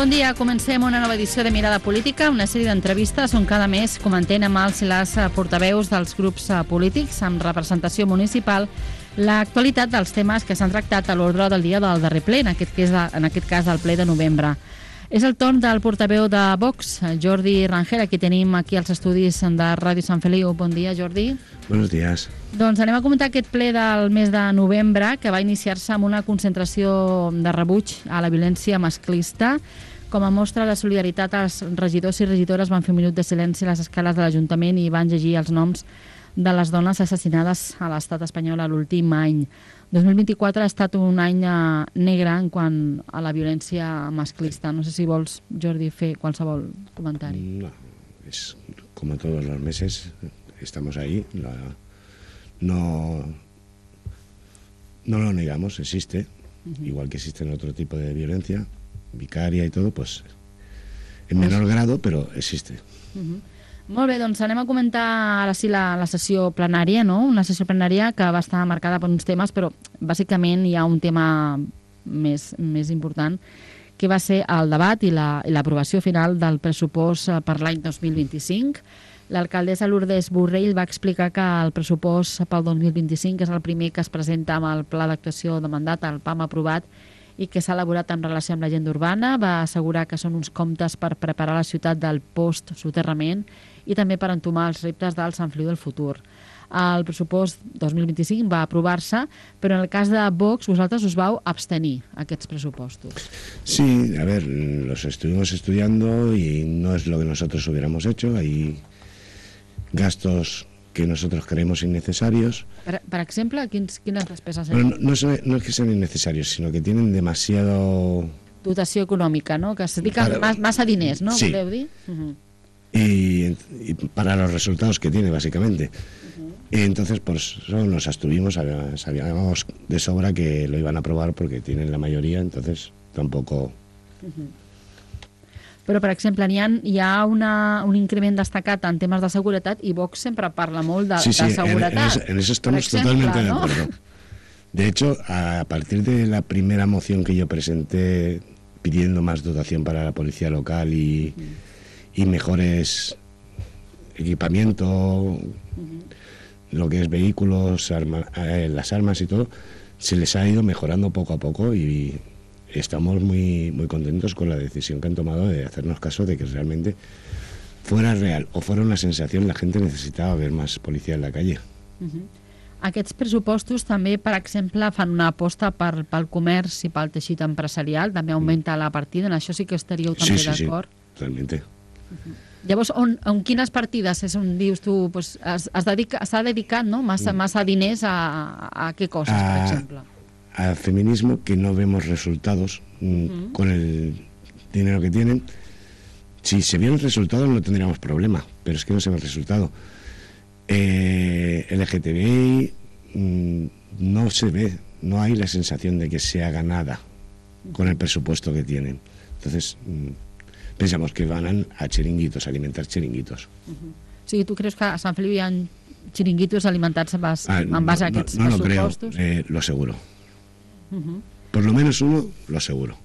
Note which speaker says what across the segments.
Speaker 1: Bon dia, comencem una nova edició de Mirada Política, una sèrie d'entrevistes on cada mes comentem amb els i les portaveus dels grups polítics amb representació municipal l'actualitat dels temes que s'han tractat a l'ordre del dia del darrer ple, en aquest cas del ple de novembre. És el torn del portaveu de Vox, Jordi Rangel, qui tenim aquí als estudis de Ràdio Sant Feliu. Bon dia, Jordi.
Speaker 2: Buenos días.
Speaker 1: Doncs anem a comentar aquest ple del mes de novembre, que va iniciar-se amb una concentració de rebuig a la violència masclista. Com a mostra de solidaritat, els regidors i regidores van fer un minut de silenci a les escales de l'Ajuntament i van llegir els noms de les dones assassinades a l'estat espanyol l'últim any. 2024 ha estat un any negre en quant a la violència masclista. No sé si vols, Jordi, fer qualsevol comentari.
Speaker 2: No, es como todos los meses, estamos ahí. No lo negamos, existe. Igual que existe otro tipo de violencia, vicaria y todo, pues en menor grado, pero existe.
Speaker 1: Molt bé, doncs anem a comentar ara sí la sessió plenària, no? Una sessió plenària que va estar marcada per uns temes, però bàsicament hi ha un tema més important, que va ser el debat i l'aprovació final del pressupost per l'any 2025. L'alcaldessa Lourdes Borrell va explicar que el pressupost pel 2025 és el primer que es presenta amb el pla d'actuació de mandat, el PAM aprovat, i que s'ha elaborat en relació amb l'agenda urbana. Va assegurar que són uns comptes per preparar la ciutat del post-soterrament i també per entomar els reptes del Sant Feliu del futur. El pressupost 2025 va aprovar-se, però en el cas de Vox vosaltres us vau abstenir aquests pressupostos.
Speaker 2: Sí, a ver, los estuvimos estudiando y no es lo que nosotros hubiéramos hecho. Hay gastos que nosotros creemos innecesarios.
Speaker 1: Per exemple, quines despeses?
Speaker 2: Bueno, no es que sean innecesarios, sino que tienen demasiado...
Speaker 1: Dotació econòmica, no? Que es dediquen massa diners, no?
Speaker 2: Sí.
Speaker 1: Voleu dir?
Speaker 2: Y para los resultados que tiene, básicamente. Y entonces, por eso nos abstuvimos, sabíamos de sobra que lo iban a aprobar porque tienen la mayoría, entonces tampoco...
Speaker 1: Però, per exemple, hi ha un increment destacat en temes de seguretat i Vox sempre parla molt de seguretat.
Speaker 2: En eso estamos totalmente de acuerdo. De hecho, a partir de la primera moción que yo presenté pidiendo más dotación para la policía local y mejores equipamiento, lo que es vehículos, las armas y todo, se les ha ido mejorando poco a poco y estamos muy, muy contentos con la decisión que han tomado de hacernos caso de que realmente fuera real o fuera una sensación, la gente necesitaba ver más policía en la calle.
Speaker 1: Aquests pressupostos també, per exemple, fan una aposta pel comerç i pel teixit empresarial, també augmenta la partida, en això sí que estaríeu també d'acord?
Speaker 2: Sí, totalmente.
Speaker 1: Llavors, en quines partides és on dius tu, s'ha dedicat massa diners a què coses, per exemple?
Speaker 2: Al feminismo, que no vemos resultados con el dinero que tienen. Si se vieran resultados no tendríamos problema, pero es que no se ve el resultado. LGTBI no se ve, no hay la sensación de que se haga nada con el presupuesto que tienen. Entonces pensamos que van a chiringuitos, a alimentar chiringuitos.
Speaker 1: O sigui, tu creus que a Sant Feliu hi ha chiringuitos alimentats en base a aquests pressupostos?
Speaker 2: No lo creo, lo aseguro. Por lo menos uno, lo aseguro.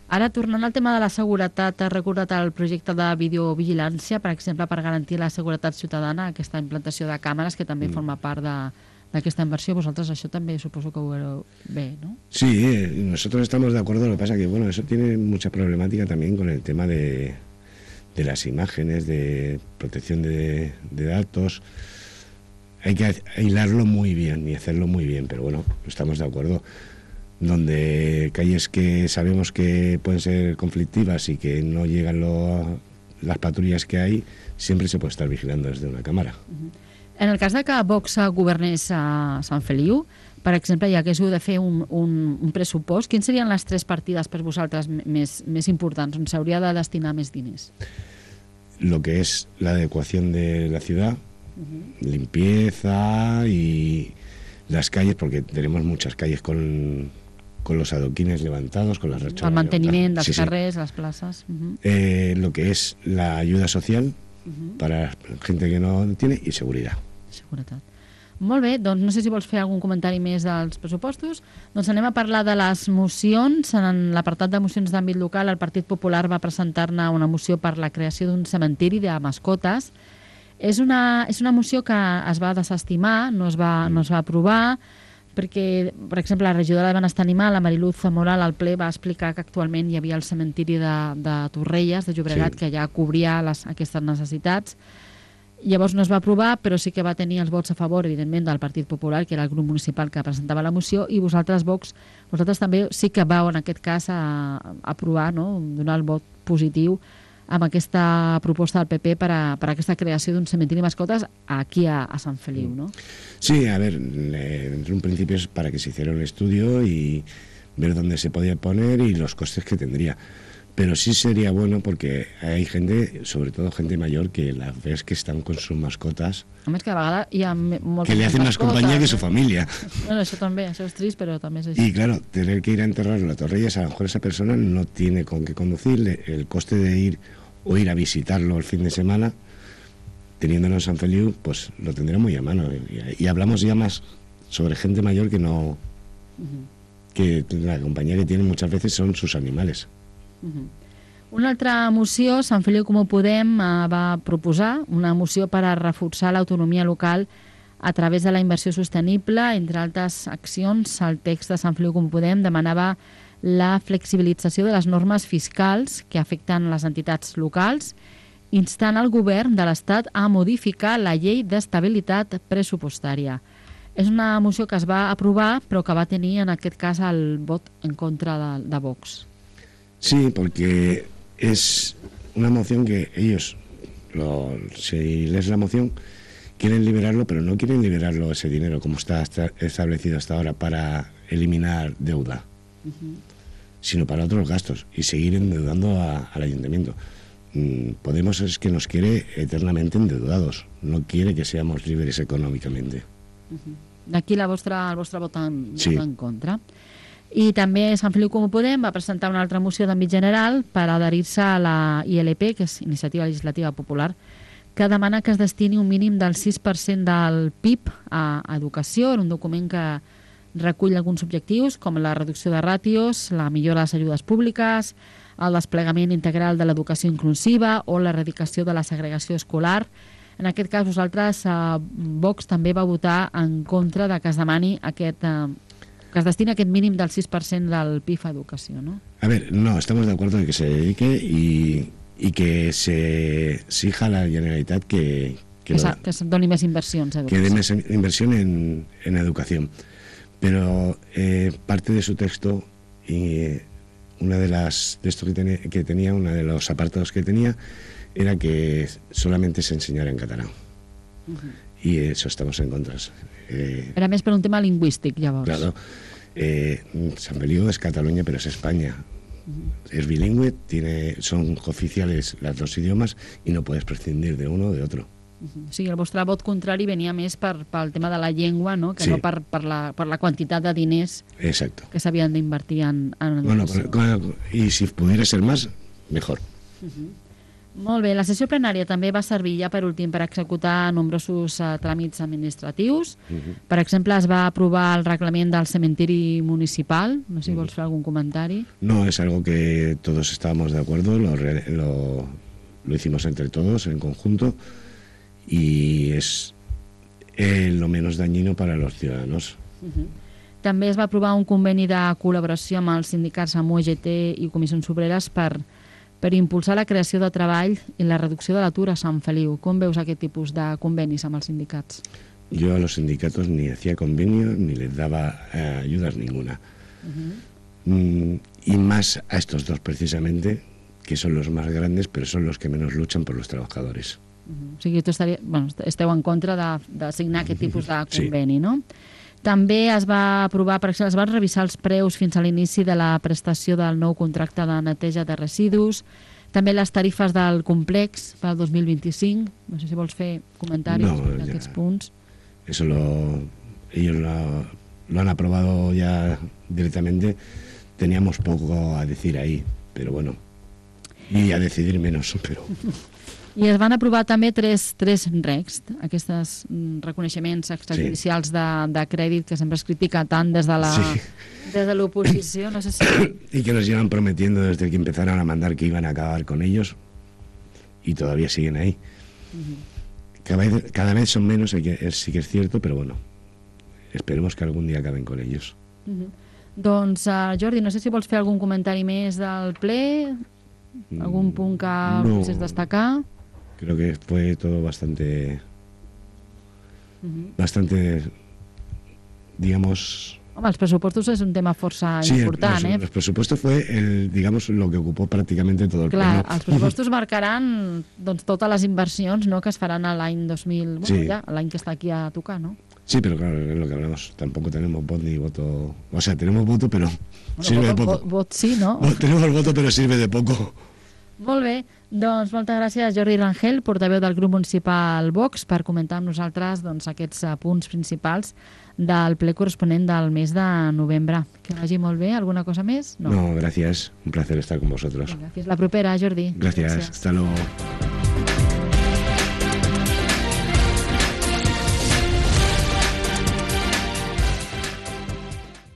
Speaker 1: Ara, tornant al tema de la seguretat, has recordat el projecte de videovigilància, per exemple, per garantir la seguretat ciutadana, aquesta implantació de càmeres, que també forma part d'aquesta inversió. Vosaltres això també suposo que ho veureu bé, ¿no?
Speaker 2: Sí, nosotros estamos de acuerdo, lo que pasa que, bueno, eso tiene mucha problemática también con el tema de las imágenes, de protección de datos. Hay que hilarlo muy bien y hacerlo muy bien, pero bueno, estamos de acuerdo. Donde calles que sabemos que pueden ser conflictivas y que no llegan las patrullas que hay, siempre se puede estar vigilando desde una cámara.
Speaker 1: En el cas de que Vox governés a Sant Feliu, per exemple, ja que haguéssiu de fer un pressupost, quines serien les 3 partides per vosaltres més importants, on s'hauria de destinar més diners?
Speaker 2: Lo que es la adecuación de la ciudad, limpieza y las calles, porque tenemos muchas calles con los adoquines levantados, con las racholas.
Speaker 1: El manteniment dels carrers, les places.
Speaker 2: Lo que es la ayuda social para gente que no tiene y seguridad.
Speaker 1: Seguretat. Molt bé, doncs no sé si vols fer algun comentari més dels pressupostos. Doncs anem a parlar de les mocions. En l'apartat de mocions d'àmbit local, el Partit Popular va presentar-ne una moció per la creació d'un cementiri de mascotes. És una moció que es va desestimar, no es va aprovar, perquè, per exemple, la regidora de Benestar Animal, la Mariluz Zamora, al ple va explicar que actualment hi havia el cementiri de Torrelles, de Llobregat, que ja cobria aquestes necessitats. Llavors no es va aprovar, però sí que va tenir els vots a favor, evidentment, del Partit Popular, que era el grup municipal que presentava la moció, i vosaltres, Vox, vosaltres també sí que vau, en aquest cas, a aprovar, no? Donar el vot positiu amb aquesta proposta del PP per a aquesta creació d'un cementiri de mascotes aquí a Sant Feliu, ¿no?
Speaker 2: Sí, a ver, en un principio es para que se hiciera un estudio y ver dónde se podía poner y los costes que tendría. Pero sí sería bueno porque hay gente, sobre todo gente mayor, que las ves que están con sus mascotas.
Speaker 1: A més que de vegades hi ha moltes
Speaker 2: que le hacen más compañía que su familia.
Speaker 1: Bueno, això també, això és trist, però també és així.
Speaker 2: Y claro, tener que ir a enterrarlo a Torrelles, a lo mejor esa persona no tiene con qué conducirle. El coste de ir o ir a visitarlo el fin de semana, teniéndolo en San Feliu, pues lo tendrá muy a mano. Y hablamos ya más sobre gente mayor que no... que la compañía que tienen muchas veces son sus animales.
Speaker 1: Una altra moció, Sant Feliu Comú Podem va proposar una moció per a reforçar l'autonomia local a través de la inversió sostenible. Entre altres accions, el text de Sant Feliu Comú Podem demanava la flexibilització de les normes fiscals que afecten les entitats locals, instant el govern de l'Estat a modificar la llei d'estabilitat pressupostària. És una moció que es va aprovar, però que va tenir, en aquest cas, el vot en contra de Vox.
Speaker 2: Sí, porque es una moción que ellos, si lees la moción, quieren liberarlo, pero no quieren liberarlo ese dinero como está establecido hasta ahora para eliminar deuda, sino para otros gastos y seguir endeudando al ayuntamiento. Podemos es que nos quiere eternamente endeudados, no quiere que seamos libres econòmicamente.
Speaker 1: D'aquí el vostre vot en contra. I també Sant Feliu Comú Podem va presentar una altra moció d'àmbit general per adherir-se a la ILP, que és Iniciativa Legislativa Popular, que demana que es destini un mínim del 6% del PIB a educació, en un document que recull alguns objectius, com la reducció de ràtios, la millora de les ajudes públiques, el desplegament integral de l'educació inclusiva o l'erradicació de la segregació escolar. En aquest cas, vosaltres, Vox, també va votar en contra de que es demani que es destina aquest mínim del 6% del PIB a educació, ¿no?
Speaker 2: A ver, no, estamos de acuerdo en que se dedique y que se exija a la Generalitat que
Speaker 1: se doni més inversions a educació.
Speaker 2: Que dé més inversión en educación. Pero parte de su texto y una de esto que tenía, uno de los apartados que tenía, era que solamente se enseñara en catalán. Y eso estamos en contra.
Speaker 1: Era més per un tema lingüístic, llavors.
Speaker 2: Claro. San Feliu es Cataluña, pero es España. Es bilingüe, son oficiales los dos idiomas y no puedes prescindir de uno o de otro.
Speaker 1: O sigui, el vostre vot contrari venia més pel tema de la llengua, no? Que no per la quantitat de diners que s'havien d'invertir en educació.
Speaker 2: Bueno, y si pudiera ser más, mejor.
Speaker 1: Molt bé, la sessió plenària també va servir ja per últim per executar nombrosos tràmits administratius. Per exemple, es va aprovar el reglament del cementiri municipal. No sé si vols fer algun comentari.
Speaker 2: No, es algo que todos estábamos de acuerdo, lo hicimos entre todos en conjunto y es lo menos dañino para los ciudadanos.
Speaker 1: També es va aprovar un conveni de col·laboració amb els sindicats amb UGT i comissions obreres per impulsar la creació de treball i la reducció de l'atur a Sant Feliu. Com veus aquest tipus de convenis amb els sindicats?
Speaker 2: Yo a los sindicatos ni hacía convenio ni les daba ayudas ninguna. Y más a estos dos precisamente, que son los más grandes, pero son los que menos luchan por los trabajadores.
Speaker 1: O sigui, esteu en contra de signar aquest tipus de conveni, no? També es va aprovar, per exemple, es van revisar els preus fins a l'inici de la prestació del nou contracte de neteja de residus, també les tarifes del complex per al 2025. No sé si vols fer comentaris d'aquests punts.
Speaker 2: Eso ellos lo han aprobado ya directamente. Teníamos poco a decir ahí, pero bueno, y a decidir menos, pero...
Speaker 1: I es van aprovar també tres recs, aquests reconeixements extrajudicials de crèdit que sempre es critica tant des de l'oposició, no sé si...
Speaker 2: Y que nos llevan prometiendo desde que empezaron a mandar que iban a acabar con ellos y todavía siguen ahí. Cada vez son menos, sí que es cierto, pero bueno, esperemos que algún día acaben con ellos.
Speaker 1: Doncs, Jordi, no sé si vols fer algun comentari més del ple, algun punt que volguessis destacar.
Speaker 2: Creo que fue todo bastante, digamos...
Speaker 1: Home, els pressupostos és un tema força important,
Speaker 2: los presupuestos fue, digamos, lo que ocupó prácticamente todo el
Speaker 1: pleno.
Speaker 2: Clar,
Speaker 1: els pressupostos marcaran doncs, totes les inversions, no?, que es faran a l'any 2000, bueno, ja, l'any que està aquí a tocar, no?
Speaker 2: Sí, pero claro, es lo que hablamos. Tampoco tenemos voto ni voto. O sea, tenemos voto, pero sirve de poco.
Speaker 1: Vot sí, no?
Speaker 2: Tenemos el voto, pero sirve de poco.
Speaker 1: Molt bé. Doncs moltes gràcies, Jordi Rangel, portaveu del grup municipal Vox, per comentar amb nosaltres doncs, aquests punts principals del ple corresponent del mes de novembre. Que vagi molt bé. ¿Alguna cosa més?
Speaker 2: No, gracias. Un placer estar con vosotros.
Speaker 1: Fins la propera, Jordi.
Speaker 2: Gracias. Hasta luego.